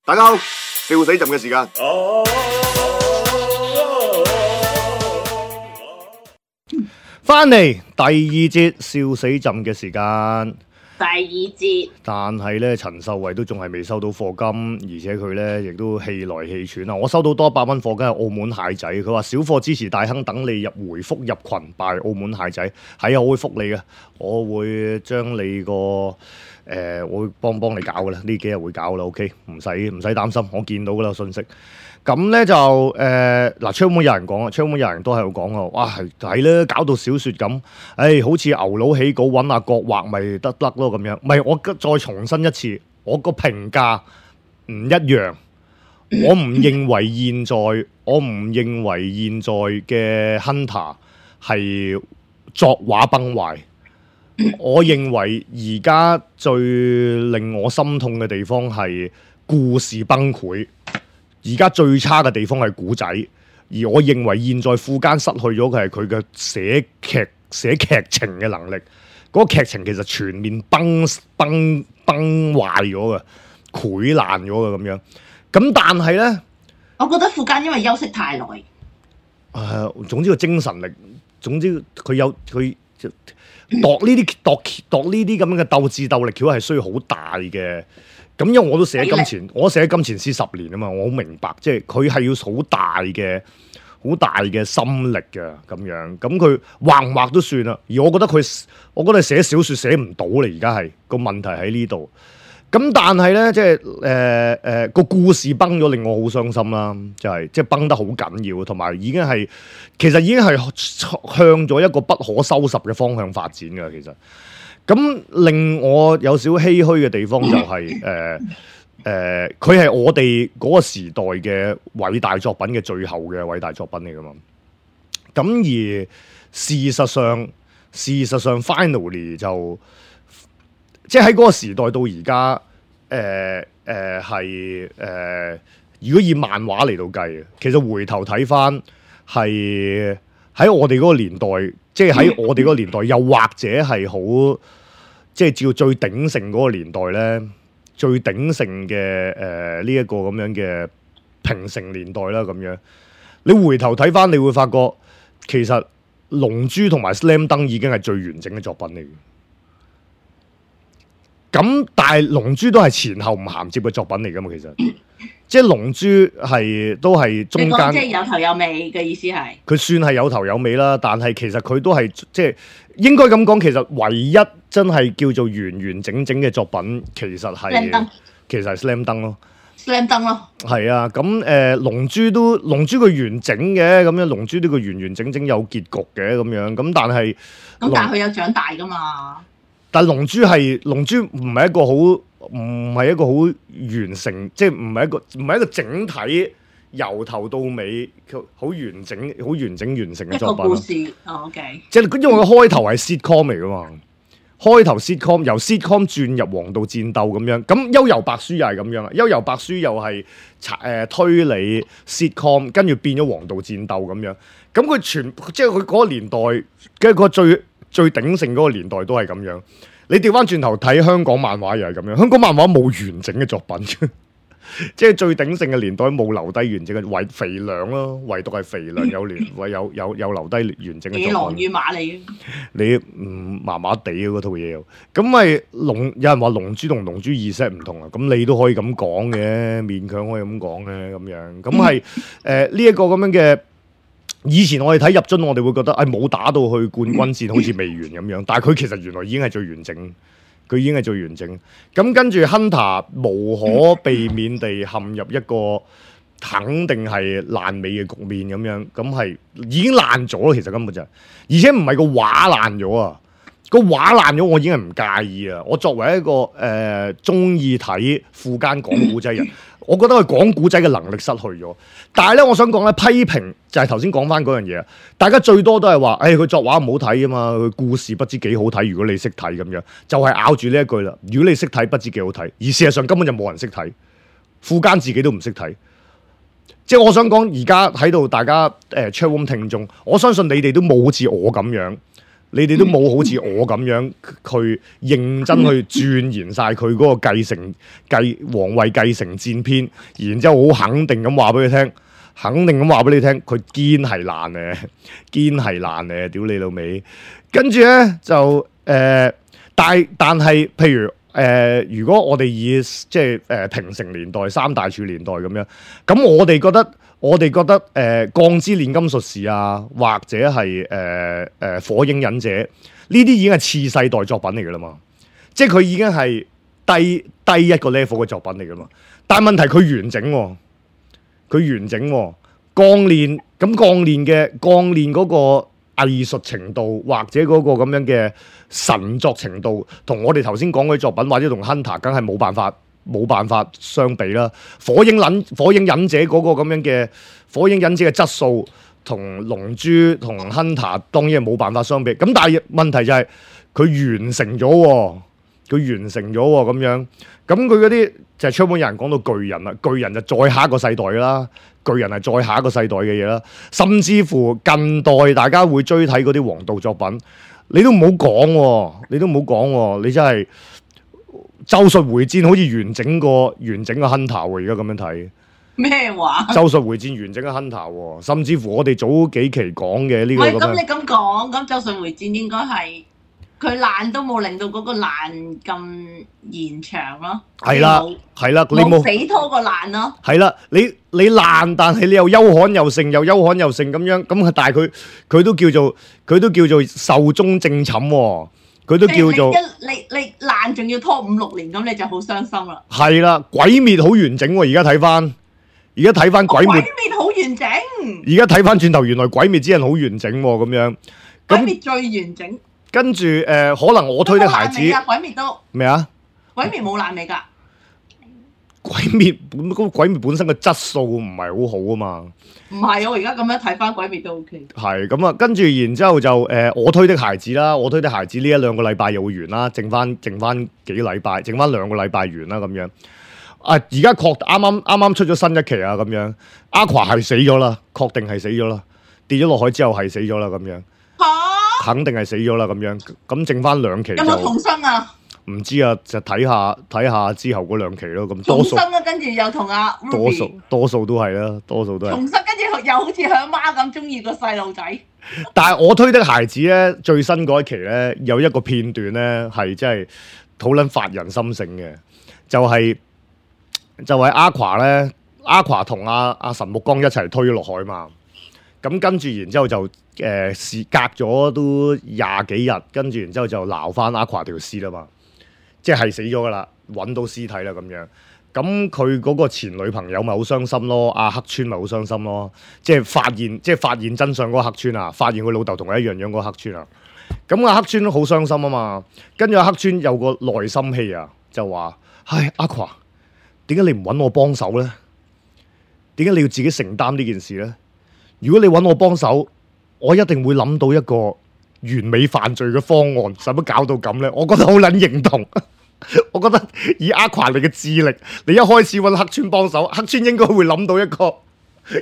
大家好，笑死朕嘅時間。翻嚟第二節笑死朕嘅時間。第二節，但係咧，陳秀慧都仲係未收到課金，而且佢咧亦都氣來氣喘啊！我收到多100蚊課金係澳門蟹仔，佢話小貨支持大亨，等你回覆入群拜澳門蟹仔，係啊，我會覆你嘅，我會將你個我會幫你搞噶啦，呢幾日會搞啦 ，OK， 唔使擔心，我見到噶啦信息。咁咧就嗱，窗門有人講啊，窗門有人都喺度講啊，哇係咧，搞到小説咁，好似牛佬起稿揾阿國畫咪得咯咁樣。唔係，我再重申一次，我個評價唔一樣。我唔認為現在嘅 Hunter 係作畫崩壞。我認為而家最令我心痛嘅地方係故事崩潰。而家最差嘅地方係古仔，而我認為現在富奸失去咗嘅係佢嘅寫劇情嘅能力。嗰個劇情其實全面崩壞咗嘅，潰爛咗嘅咁樣。咁但係呢，我覺得富奸因為休息太耐。總之個精神力，總之佢度呢啲咁樣嘅鬥智鬥力橋係需要好大嘅。咁因為我都寫金錢，我寫金錢師10年啊嘛，我好明白，即係佢係要好大嘅心力嘅咁樣。咁佢畫唔畫都算啦。而我覺得寫小説寫唔到啦，而家係個問題喺呢度。咁但係咧，即係個故事崩咗，令我好傷心啦。就係即係崩得好緊要，同埋其實已經係向咗一個不可收拾嘅方向發展㗎。其實。咁令我有少唏噓嘅地方就係佢係我哋嗰個時代嘅偉大作品嘅最後嘅偉大作品嚟㗎嘛。咁而事實上 finally 就即係喺嗰個時代到而家如果以漫畫嚟到計，其實回頭睇返係喺我哋嗰個年代。即係喺我哋嗰個年代，又或者係好，即係照最鼎盛嗰個年代咧，最鼎盛嘅呢一個咁樣嘅平成年代啦，咁樣你回頭睇翻，你會發覺其實《龍珠》同埋《Slam Dunk》已經係最完整嘅作品嚟嘅。咁但係《龍珠》都係前後唔銜接嘅作品嚟㗎嘛，其實。即係《龍珠》都係中間，即係有頭有尾嘅意思係。佢算係有頭有尾啦，但係其實佢都係即係應該咁講，其實唯一真係叫做完整嘅作品，其實係 Slam Dunk 咯。Slam Dunk 咯。係啊，咁龍珠佢完整嘅，咁樣《龍珠》呢個完整有結局嘅咁樣，咁但係佢有長大㗎嘛？但係龍珠唔係一個好完成，即係唔係一個整體由頭到尾好完整完成嘅作品。一個故事，OK。即係因為佢開頭係 sitcom 嚟噶嘛，開頭 sitcom 由 sitcom 轉入黃道戰鬥咁樣。咁《幽遊白書》又係咁樣啦，《幽遊白書》又係推理 sitcom， 跟住變咗黃道戰鬥咁樣。咁佢即係佢嗰個年代嘅個最鼎盛嗰個年代都係咁樣。你調翻轉頭睇香港漫畫又係咁樣，香港漫畫冇完整嘅作品，即係最鼎盛嘅年代冇留低完整嘅，肥良咯，唯獨係肥良有留低完整嘅作品。野狼與馬里，你麻麻地嗰套嘢又，咁咪有人話龍珠同龍珠2唔同啊，咁你都可以咁講嘅，勉強可以咁講嘅咁樣，咁係呢一個咁樣嘅。以前我哋睇入樽，我哋會覺得冇打到去冠軍戰，好似未完咁樣。但係佢其實原來已經係最完整，佢已經係最完整。咁跟住 Hunter 無可避免地陷入一個肯定係爛尾嘅局面咁樣，咁係已經爛咗咯。其實根本就係，而且唔係個畫爛咗啊，個畫爛咗我已經係唔介意啊。我作為一個中意睇富奸講古仔人。我覺得佢講古仔嘅能力失去咗，但係咧，我想講咧，批評就係頭先講翻嗰樣嘢，大家最多都係話，佢作畫唔好睇啊嘛，佢故事不知幾好睇，如果你識睇咁樣，就係咬住呢一句啦。如果你識睇，不知幾好睇，而事實上根本就冇人識睇，富奸自己都唔識睇。即係我想講，而家喺度大家chatroom聽眾，我相信你哋都冇好似我咁樣。你哋都冇好似我咁樣去認真去鑽研晒佢嗰個皇位繼承戰篇，然之後好肯定咁話俾佢聽，佢堅係爛嘅，堅係爛嘅，屌你老味。跟住咧就但係譬如如果我哋以即係平成年代、三大柱年代咁樣，咁我哋覺得鋼之煉金術士啊，或者係火影忍者呢啲已經係次世代作品嚟噶啦嘛，即係佢已經係低一個 level 嘅作品嚟噶嘛。但係問題佢完整喎，鋼煉嗰個藝術程度或者嗰個咁樣嘅神作程度，同我哋頭先講嗰啲作品或者同 Hunter 梗係冇辦法相比啦。火影忍者嗰個咁樣嘅火影忍者嘅質素同龍珠同 Hunter 當然係冇辦法相比。咁但係問題就係佢完成咗喎咁樣。咁佢嗰啲就係出本有人講到巨人啦，巨人就再下一個世代啦，巨人係再下一個世代嘅嘢啦。甚至乎近代大家會追睇嗰啲王道作品，你都唔好講喎，你真係咒術迴戰好似完整個 Hunter 喎，而家咁樣睇咩話？咒術迴戰完整嘅 Hunter 喎，甚至乎我哋早幾期講嘅呢個咁樣。咁你咁講，咁咒術迴戰應該係。佢爛都冇令到嗰個爛咁延長咯，係啦，你冇死拖個爛咯，係啦，你爛，但係你又憂罕又盛咁樣，咁但係佢都叫做壽終正寢喎，佢都叫做你爛仲要拖5-6年，咁你就好傷心啦。係啦，鬼滅好完整喎，而家睇翻鬼滅好完整，而家睇翻轉頭，原來鬼滅之刃好完整喎，咁樣鬼滅最完整。跟住可能我推的孩子，鬼滅都咩啊？鬼滅冇爛尾㗎。鬼滅本身嘅質素唔係好好啊嘛。唔係，我而家咁樣睇翻鬼滅都 OK。係咁啊，跟住然之後就我推的孩子啦，我推的孩子呢1-2個禮拜又會完啦，剩翻幾個禮拜，剩翻2個禮拜完啦咁樣。而家啱出咗新一期啊咁樣，Aqua 係死咗啦，確定係死咗啦，跌咗落海之後係死咗啦咁樣。肯定係死咗啦咁樣，咁剩翻2期就有冇重生啊？唔知啊，就睇下之後嗰2期咯。咁重生啊，跟住又同阿 Ruby 多數都係啦，多數都係重生，跟住又好似佢阿媽咁中意個細路仔。但係我推的孩子咧，最新嗰一期咧有一個片段咧係真係好撚發人心性嘅，就係 Aqua 咧 ，Aqua 同阿神木剛一齊推咗落海嘛。咁跟住然之後就隔咗都20幾日，跟住然之後就撈翻 Aqua 條屍啦嘛，即係死咗噶啦，揾到屍體啦咁樣。咁佢嗰個前女朋友咪好傷心咯，阿黑川咪好傷心咯，即係發現真相嗰個黑川啊，發現佢老豆同佢一樣樣嗰個黑川啊。咁阿黑川都好傷心啊嘛，跟住阿黑川有個內心戲啊，就話：唉，Aqua，點解你唔揾我幫手咧？點解你要自己承擔呢件事咧？如果你揾我幫手，我一定會諗到一個完美犯罪嘅方案，使乜搞到咁咧？我覺得好撚認同。我覺得以 Aqua 你嘅智力，你一開始揾黑川幫手，黑川應該會諗到一個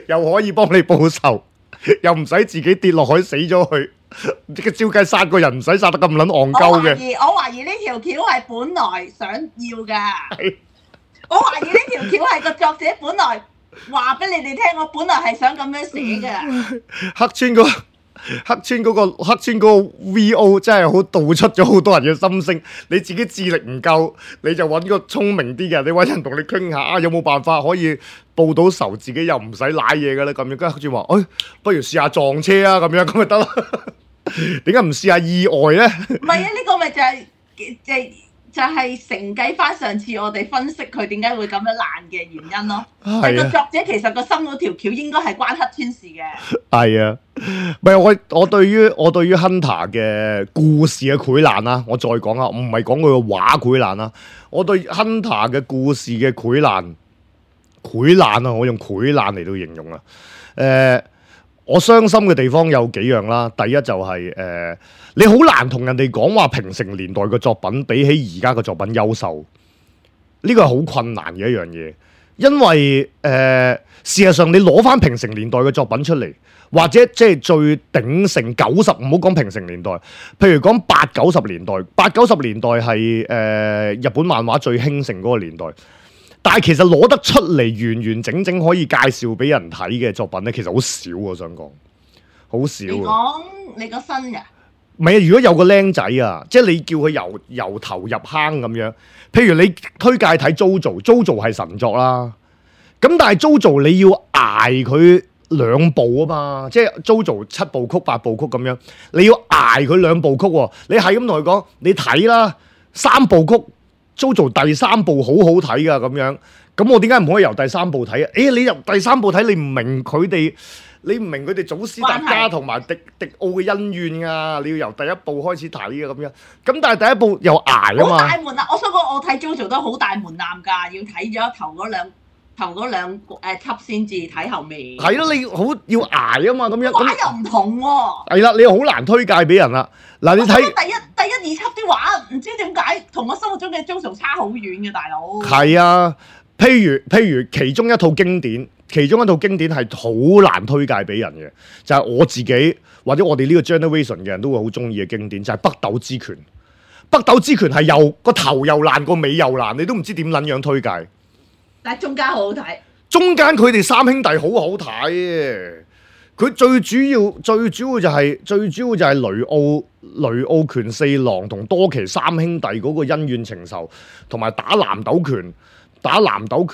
又可以幫你報仇，又唔使自己跌落海死咗去，照計殺個人唔使殺得咁撚戇鳩嘅。我懷疑呢條橋係本來想要㗎。我懷疑呢條橋係個作者本來話俾你哋聽，我本來係想咁樣寫嘅。黑川嗰個 VO 真係好道出咗好多人嘅心聲。你自己智力唔夠，你就揾個聰明啲嘅，你揾人同你傾下，有冇辦法可以報到仇，自己又唔使舐嘢嘅咧？咁樣跟住黑川話：不如試下撞車啊！咁樣咁咪得咯。點解唔試下意外咧？唔係啊，呢個咪就係承繼翻上次我哋分析佢點解會咁樣爛嘅原因咯。係個作者其實個心嗰條橋應該係關黑川事嘅。係啊，唔係我對於 Hunter 嘅故事嘅潰爛啦，我再講下，我唔係講佢個畫潰爛啦。我對 Hunter 嘅故事嘅潰爛啊，我用潰爛嚟到形容啊。我傷心嘅地方有幾樣啦。第一就係你好難同人哋講話平成年代嘅作品比起而家嘅作品優秀，呢個係好困難嘅一樣嘢。因為事實上你攞翻平成年代嘅作品出嚟，或者即係最鼎盛90，唔好講平成年代，譬如講80、90年代，80、90年代係日本漫畫最興盛嗰個年代。但係其實攞得出嚟完完整整可以介紹俾人睇嘅作品咧，其實好少，我想講好少。你講你個新嘅？唔係啊！如果有個僆仔啊，即係你叫佢由頭入坑咁樣，譬如你推介睇 JoJo 係神作啦。咁但係 JoJo 你要捱佢2部啊嘛，即係 JoJo 7部曲8部曲咁樣，你要捱佢2部曲喎。你係咁同佢講，你睇啦3部曲 JoJo 第3部好好睇噶咁樣。咁我點解唔可以由第3部睇啊？你由第3部睇，你唔明佢哋祖師大家同埋迪奧嘅恩怨啊！你要由第1部開始睇嘅咁樣。咁但係第1部又捱啊嘛。好大門啊！我想講，我睇 JoJo 都好大門檻㗎，要睇咗頭嗰兩輯先至睇後面。係咯，你好要捱啊嘛，咁樣。畫又唔同喎。係啦，你好難推介俾人啦。嗱，你睇第一、2輯啲畫，唔知點解同我心目中嘅 JoJo 差好遠嘅，大佬。係啊，譬如其中一套經典係好難推介俾人嘅，就係我自己或者我哋呢個 generation 嘅人都會好中意嘅經典，就係北斗之拳。北斗之拳係又個頭又爛，個尾又爛，你都唔知點撚樣推介。但係中間好好睇，中間佢哋3兄弟好好睇。佢最主要就係雷奧拳四郎同多奇3兄弟嗰個恩怨情仇，同埋打南斗拳，打南斗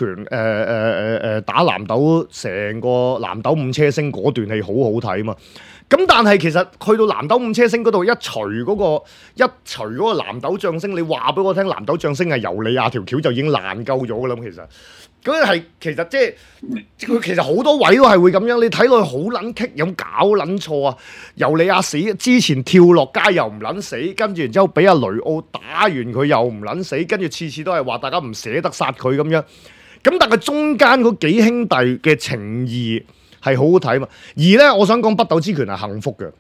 成個南斗五車星嗰段戲好好睇嘛。咁但係其實去到南斗五車星嗰度一除嗰個南斗將星，你話俾我聽南斗將星係尤利亞條橋就已經爛鳩咗㗎啦。其實嗰係其實即係佢其實好多位都係會咁樣，你睇落去好撚棘，有搞撚錯啊！尤利亞死之前跳落街又唔撚死，跟住然之後俾阿雷奧打完佢又唔撚死，跟住次次都係話大家唔捨得殺佢咁樣。咁但係中間嗰幾兄弟嘅情義係好好睇嘛。而咧，我想講北斗之拳係幸福嘅。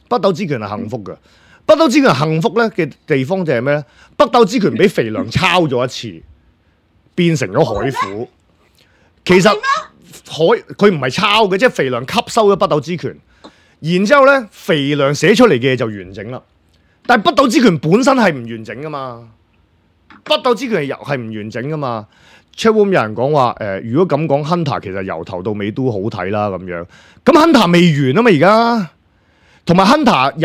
北斗之拳係幸福嘅。北斗之拳幸福咧嘅地方就係咩咧？北斗之拳俾肥良抄咗一次。變成咗海虎，其實佢唔係抄嘅，即係肥良吸收咗北斗之拳，然之後咧肥良寫出嚟嘅嘢就完整啦。但係北斗之拳本身係唔完整噶嘛，北斗之拳係唔完整噶嘛。Chatroom 有人講話如果咁講 Hunter 其實由頭到尾都好睇啦咁樣，咁 Hunter 未完啊嘛而家，同埋 Hunter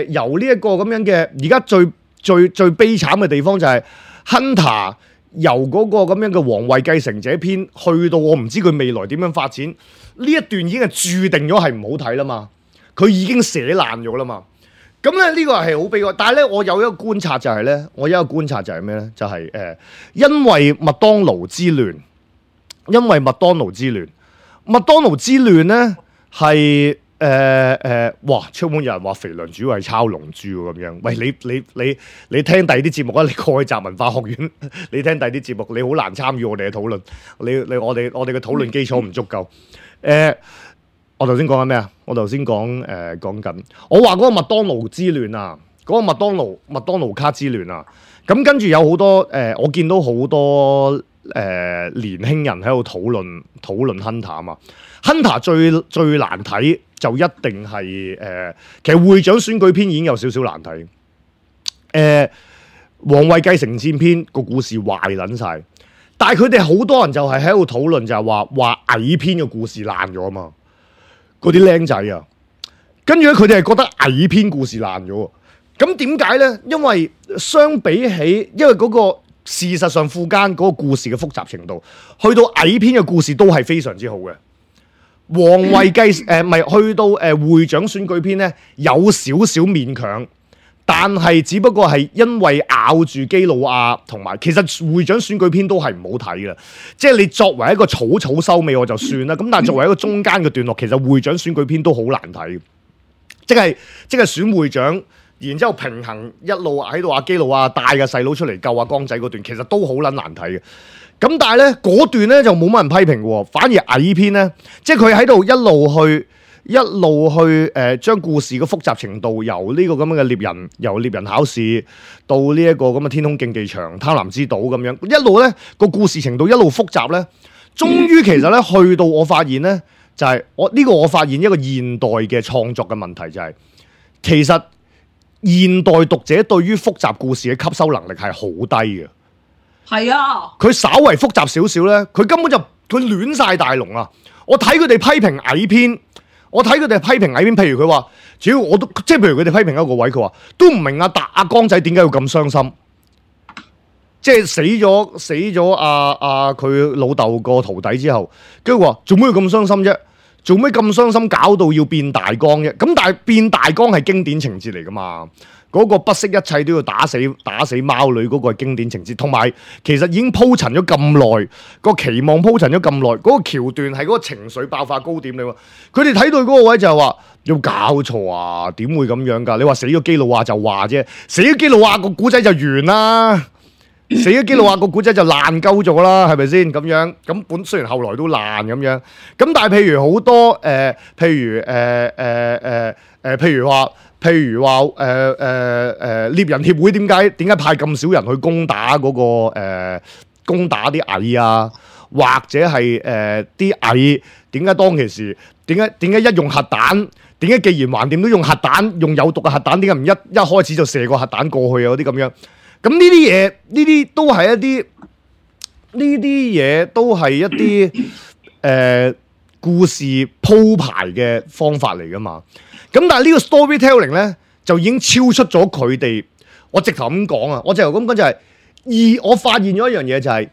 由呢一個咁樣嘅而家最悲慘嘅地方就係、是。Hunter 由嗰個咁樣嘅皇位繼承者篇去到我唔知佢未來點樣發展，呢一段已經係注定咗係唔好睇啦嘛，佢已經寫爛咗啦嘛。咁咧呢個係好悲哀，但係咧我有一個觀察就係咧，咩咧？就係因為麥當勞之亂，麥當勞之亂咧係。哇！出門有人話肥良主要係抄龍珠喎咁樣。喂，你聽第二啲節目啊？你過去集文化學院，你聽第二啲節目，你好難參與我哋嘅討論。我哋嘅討論基礎唔足夠。我頭先講緊咩啊？我頭先講緊，我話嗰個麥當勞之亂啊，嗰、嗰個麥當勞卡之亂啊。咁跟住有好多我見到好多年輕人喺度討論 Hunter 啊嘛。Hunter 最難睇就一定係其實會長選舉篇已經有少少難睇。皇位繼承戰篇個故事壞撚晒，但係佢哋好多人就係喺度討論就係話矮篇嘅故事爛咗啊嘛。嗰啲僆仔啊，跟住咧佢哋係覺得矮篇故事爛咗。咁點解咧？因為相比起，因為嗰個事實上附間嗰個故事嘅複雜程度，去到矮篇嘅故事都係非常之好嘅。皇位繼咪去到會長選舉篇咧，有少少勉強，但係只不過係因為咬住基魯亞同埋，其實會長選舉篇都係唔好睇嘅。即係你作為一個草收尾我就算啦，咁但係作為一個中間嘅段落，其實會長選舉篇都好難睇。即係選會長，然之後平衡一路喺度阿基魯亞帶個細佬出嚟救阿江仔嗰段，其實都好撚難睇嘅。咁但係咧嗰段咧就冇乜人批評喎，反而矮篇咧，即係佢喺度一路去一路去將故事嘅複雜程度由呢個咁樣嘅由獵人考試到呢一個咁嘅天空競技場、貪婪之島咁樣，一路咧個故事程度一路複雜咧，終於其實咧去到我發現咧，就係我發現一個現代嘅創作嘅問題就係，其實現代讀者對於複雜故事嘅吸收能力係好低嘅。係啊，佢稍為複雜少少咧，佢根本就佢亂晒大龍啊！我睇佢哋批評蟻篇，譬如佢話，主要我都即係譬如佢哋批評一個位，佢話都唔明阿江仔點解要咁傷心，即係死咗佢老豆個徒弟之後，跟住話做咩要咁傷心啫？做咩咁傷心搞到要變大江啫？咁但係變大江係經典情節嚟噶嘛？嗰個不惜一切都要打死貓女嗰個係經典情節，同埋其實已經鋪陳咗咁耐，個期望鋪陳咗咁耐，嗰個橋段係嗰個情緒爆發高點嚟喎。佢哋睇到嗰個位就係話有搞錯啊？點會咁樣㗎？你話死咗基魯亞就話啫，死咗基魯亞個古仔就完啦，死咗基魯亞個古仔就爛鳩咗啦，係咪先咁樣？咁雖然後來都爛咁樣，咁但係譬如好多譬如話獵人協會點解派咁少人去攻打啲蟻啊？或者係啲蟻點解當其時點解一用核彈？點解既然橫掂都用核彈，用有毒嘅核彈，點解唔一開始就射個核彈過去啊？嗰啲咁樣，咁呢啲嘢呢啲都係一啲故事鋪排嘅方法嚟噶嘛。咁但係呢個 storytelling 咧就已經超出咗佢哋。我直頭咁講啊，我發現咗一樣嘢就係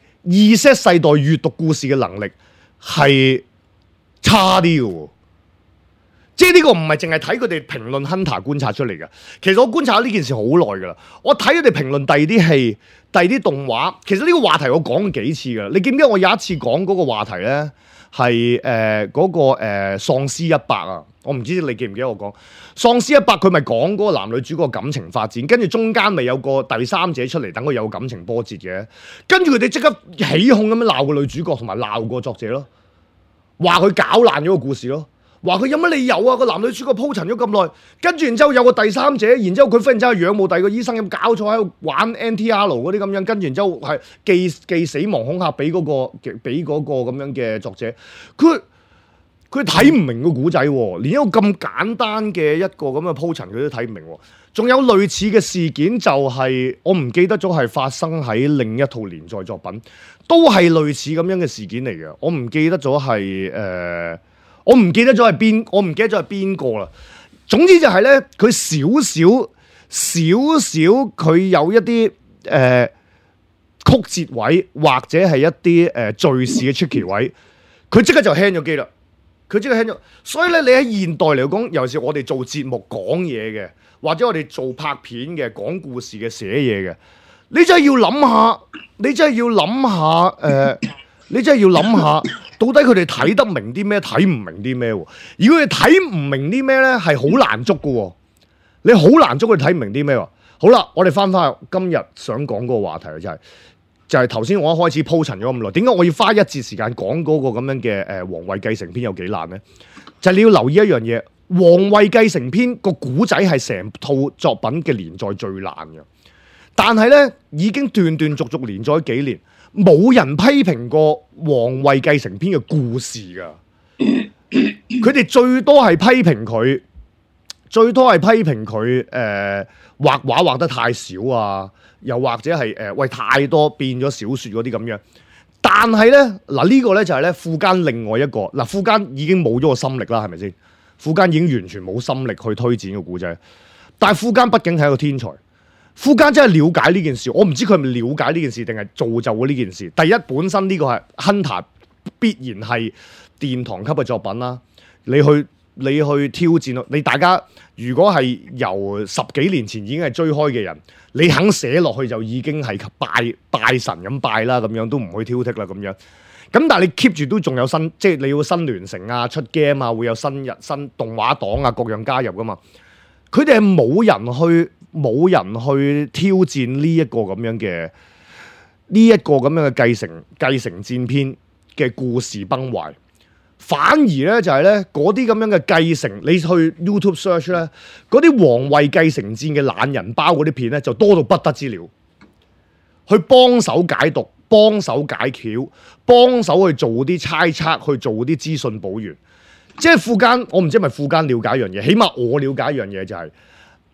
Z世代閱讀故事嘅能力係差啲嘅喎。即係呢個唔係淨係睇佢哋評論 Hunter 觀察出嚟嘅。其實我觀察咗呢件事好耐㗎啦。我睇佢哋評論第二啲戲、第二啲動畫。其實呢個話題我講過幾次㗎。你記唔記得我有一次講嗰個話題咧？係喪屍100啊！我唔知你記唔記得我講喪屍100，佢咪講嗰個男女主角感情發展，跟住中間咪有個第三者出嚟，等佢有感情波折嘅。跟住佢哋即刻起哄咁樣鬧個女主角，同埋鬧個作者咯，話佢搞爛咗個故事咯，話佢有乜理由啊？個男女主角鋪陳咗咁耐，跟住然之後有個第三者，然之後佢忽然之間仰慕第二個醫生，咁搞錯喺度玩 NTR 嗰啲咁樣，跟住然之後係寄死亡恐嚇俾嗰個咁樣嘅作者，佢睇唔明個古仔喎，連一個咁簡單嘅一個咁嘅鋪陳佢都睇唔明喎。仲有類似嘅事件就係我唔記得咗係發生喺另一套連載作品，都係類似咁樣嘅事件嚟嘅。我唔記得咗係邊個啦。總之就係咧，佢少少佢有一啲曲折位，或者係一啲敘事嘅 tricky 位，佢即刻就 hang 咗機啦。所以咧，你喺現代嚟講，尤其是我哋做節目講嘢嘅，或者我哋做拍片嘅、講故事嘅、寫嘢嘅，你真係要諗下，到底佢哋睇得明啲咩，睇唔明啲咩？如果佢哋睇唔明啲咩咧，係好難捉㗎。你好難捉佢睇唔明啲咩？好啦，我哋翻去今日想講嗰個話題就係頭先我一開始鋪陳咗咁耐，點解我要花一節時間講嗰個咁樣嘅皇位繼承篇有幾難呢？就係你要留意一樣嘢，皇位繼承篇個古仔係成套作品嘅連載最難嘅，但係呢已經斷斷續續連載幾年，冇人批評過皇位繼承篇嘅故事㗎，佢哋最多係批評佢畫畫畫得太少啊。又或者係太多變咗小説嗰啲咁樣，但係咧嗱呢個咧就係咧富堅另外一個嗱，富堅已經冇咗個心力啦，係咪先？富堅已經完全冇心力去推展個故仔，但係富堅畢竟係一個天才，富堅真係了解呢件事，我唔知佢係咪了解呢件事定係造就咗呢件事。第一，本身呢個係 Hunter 必然係殿堂級嘅作品啦，你去挑戰咯，你大家如果係由10幾年前已經係追開嘅人。你肯寫落去就已經係拜神咁拜啦，咁樣都唔會挑剔啦，咁樣。咁但係你 keep 住都仲有新，即係你要新聯成啊、出 game 啊，會有新動畫黨啊各樣加入噶嘛。佢哋係冇人去挑戰呢一個咁樣嘅繼承戰篇嘅故事崩壞，反而咧就係咧嗰啲咁樣嘅繼承，你去 YouTube search 咧，嗰啲皇位繼承戰嘅懶人包嗰啲片咧就多到不得之了，去幫手解讀、幫手解橋、幫手去做啲猜測、去做啲資訊補完。即係富奸，我唔知係咪富奸了解一樣嘢，起碼我了解一樣嘢就係、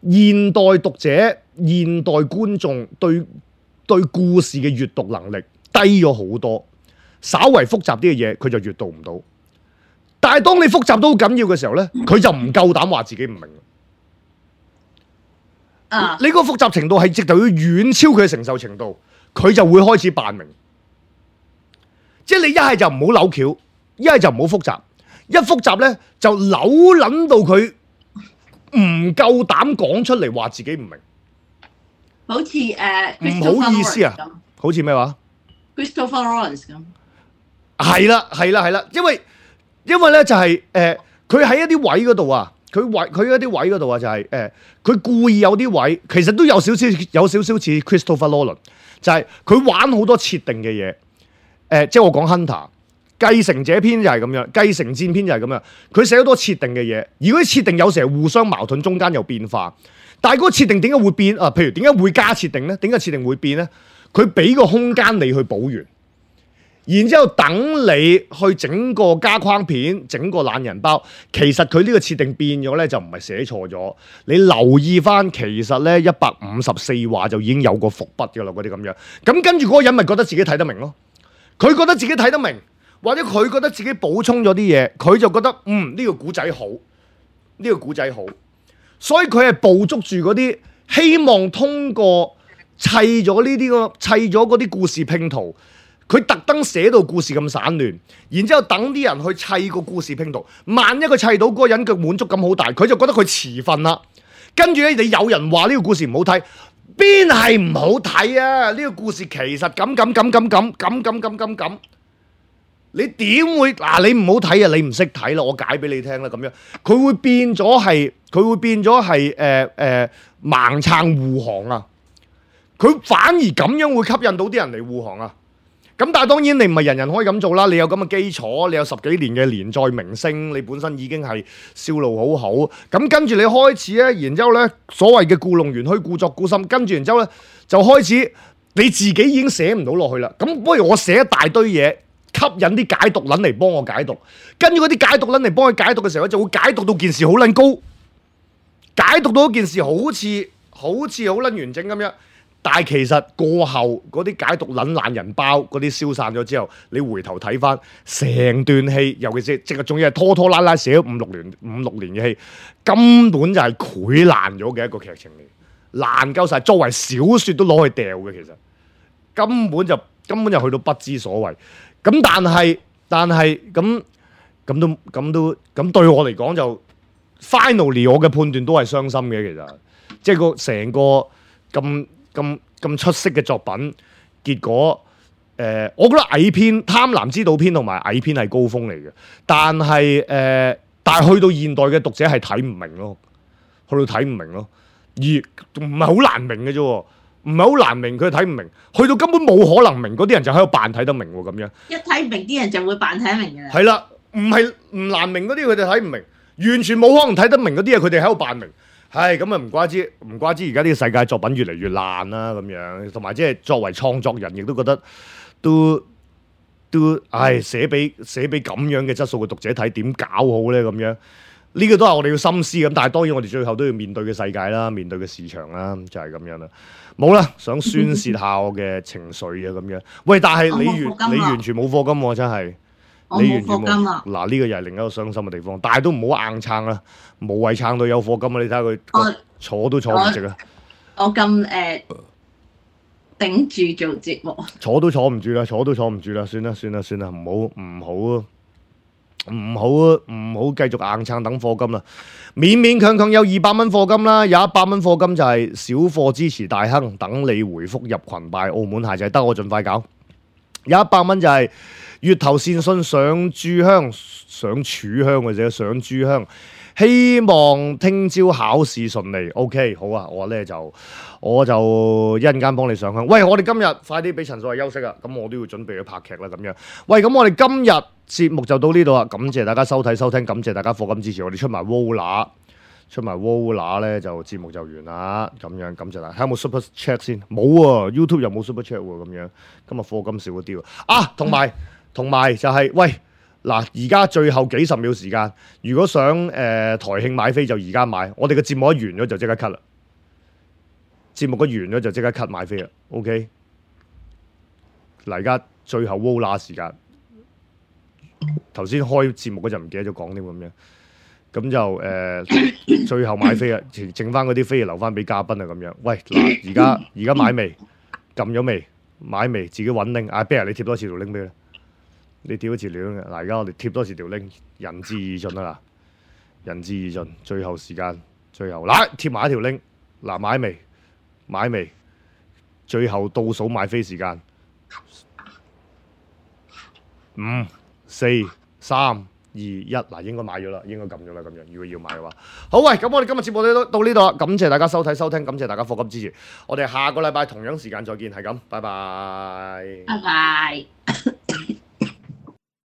現代讀者、現代觀眾對故事嘅閱讀能力低咗好多，稍為複雜啲嘅嘢佢就閱讀唔到。但係當你複雜到好緊要嘅時候咧，佢就唔夠膽話自己唔明。你個複雜程度係直頭要遠超佢嘅承受程度，佢就會開始扮明。即係你一係就唔好扭橋，一係就唔好複雜。一複雜咧就扭撚到佢唔夠膽講出嚟話自己唔明。好似唔好意思啊，好似咩話 Christopher Lawrence 咁。係啦，因為咧就係佢喺一啲位嗰度啊，佢一啲位嗰度啊就係佢故意有啲位，其實都有少少似 Christopher Nolan， 就係佢玩好多設定嘅嘢。即係我講 Hunter 繼承者篇就係咁樣，繼承戰篇就係咁樣，佢寫好多設定嘅嘢，而嗰啲設定有時係互相矛盾，中間有變化。但係嗰個設定點解會變啊？譬如點解會加設定咧？點解設定會變咧？佢俾個空間你去補完。然之後等你去整個加框片，整個懶人包，其實佢呢個設定變咗咧，就唔係寫錯咗。你留意翻，其實咧154話就已經有個伏筆嘅啦，嗰啲咁樣。咁跟住嗰個人咪覺得自己睇得明咯。佢覺得自己睇得明，或者佢覺得自己補充咗啲嘢，佢就覺得呢個古仔好，呢個古仔好。所以佢係捕捉住嗰啲希望通過砌咗嗰啲故事拼圖。佢特登寫到故事咁散亂，然之後等啲人去砌個故事拼圖。萬一佢砌到嗰個人嘅滿足感好大，佢就覺得佢遲瞓啦。跟住咧，你有人話呢個故事唔好睇，邊係唔好睇啊？呢個故事其實咁，你點會嗱？你唔好睇啊！你唔識睇啦，我解俾你聽啦。咁樣佢會變咗係盲撐護航啊！佢反而咁樣會吸引到啲人嚟護航啊！咁但係當然你唔係人人可以咁做啦，你有咁嘅基礎，你有10幾年嘅連載明星，你本身已經係銷路好好。咁跟住你開始咧，然之後咧所謂嘅故弄玄虛、故作故深，跟住然之後咧就開始你自己已經寫唔到落去啦。咁不如我寫一大堆嘢，吸引啲解讀撚嚟幫我解讀，跟住嗰啲解讀撚嚟幫佢解讀嘅時候，就會解讀到件事好撚高，解讀到一件事好似好撚完整咁樣。但係其實過後嗰啲解讀懶人包嗰啲消散咗之後，你回頭睇翻成段戲，尤其是即係仲要係拖拖拉拉寫咗5、6年嘅戲，根本就係潰爛咗嘅一個劇情嚟，爛夠晒，作為小説都攞去掉嘅，其實根本就去到不知所謂。咁但係咁對我嚟講就 finally 我嘅判斷都係傷心嘅，其實即係個成個咁出色嘅作品，結果我覺得蟻篇、貪婪之島篇同埋蟻篇係高峰嚟嘅，但係去到現代嘅讀者係睇唔明咯，去到睇唔明咯，而唔係好難明嘅啫，唔係好難明，佢睇唔明，去到根本冇可能明嗰啲人就喺度扮睇得明喎，咁樣一睇唔明啲人就會扮睇得明嘅。係啦，唔難明嗰啲佢哋睇唔明，完全冇可能睇得明嗰啲嘢，佢哋喺度扮明。係咁啊！唔怪之而家呢個世界作品越嚟越爛啦，咁樣，同埋即係作為創作人，亦都覺得都寫俾咁樣嘅質素嘅讀者睇，點搞好咧？咁樣呢個都係我哋要深思咁，但係當然我哋最後都要面對嘅世界啦，面對嘅市場啦，就係咁樣啦。冇啦，想宣泄下我嘅情緒啊，咁樣。喂，但係你完全冇課金喎，真係。你完全冇嗱，呢個又係另一個傷心嘅地方，但係都唔好硬撐啦，無謂撐到有課金啊！你睇下佢坐都坐唔直啊！我咁頂住做節目，坐都坐唔住啦，算啦，唔好繼續硬撐等課金啦，勉勉強強有200蚊課金啦，有100蚊課金就係小課支持大亨，等你回覆入群拜澳門鞋就係得我盡快搞，有100蚊就係月頭善信上柱香嘅啫，上柱香希望聽朝考試順利。OK， 好啊，我就一陣間幫你上香。喂，我哋今日快啲俾陳所謂休息啊，咁我都要準備去拍劇啦咁樣。喂，咁我哋今日節目就到呢度啦，感謝大家收睇收聽，感謝大家課金支持，我哋出埋 Wola 咧就節目就完啦，咁樣感謝大家。睇有冇 Super Chat 先？冇喎 ，YouTube 又冇 Super Chat 喎，咁樣今日課金少咗啲喎。啊，同埋就係、喂嗱，而家最後幾十秒時間，如果想台慶買飛就而家買，我哋嘅節目一完咗就即刻 cut 啦。節目一完咗就即刻 cut 買飛啦 ，OK？ 嗱，而家最後 Wola 時間，頭先開節目嗰陣唔記得咗講添咁樣，咁就最後買飛啦，剩翻嗰啲飛留翻俾嘉賓啊咁樣。喂，嗱，而家買未？撳咗未？買未？自己揾拎。阿 Bear 你貼多次條拎俾佢。你貼多次條拎。嗱，而家我哋貼多次條拎，仁至義盡啊嗱，仁至義盡。最後時間，最後嗱貼埋一條拎。嗱，買未？買未？最後倒數買飛時間，5、4、3、2、1，嗱，應該買咗啦，應該撳咗啦咁樣。如果要買嘅話，好，喂，咁我哋今日節目到呢度啦，感謝大家收睇收聽，感謝大家課金支持，我哋下個禮拜同樣時間再見，係咁，拜拜。拜拜。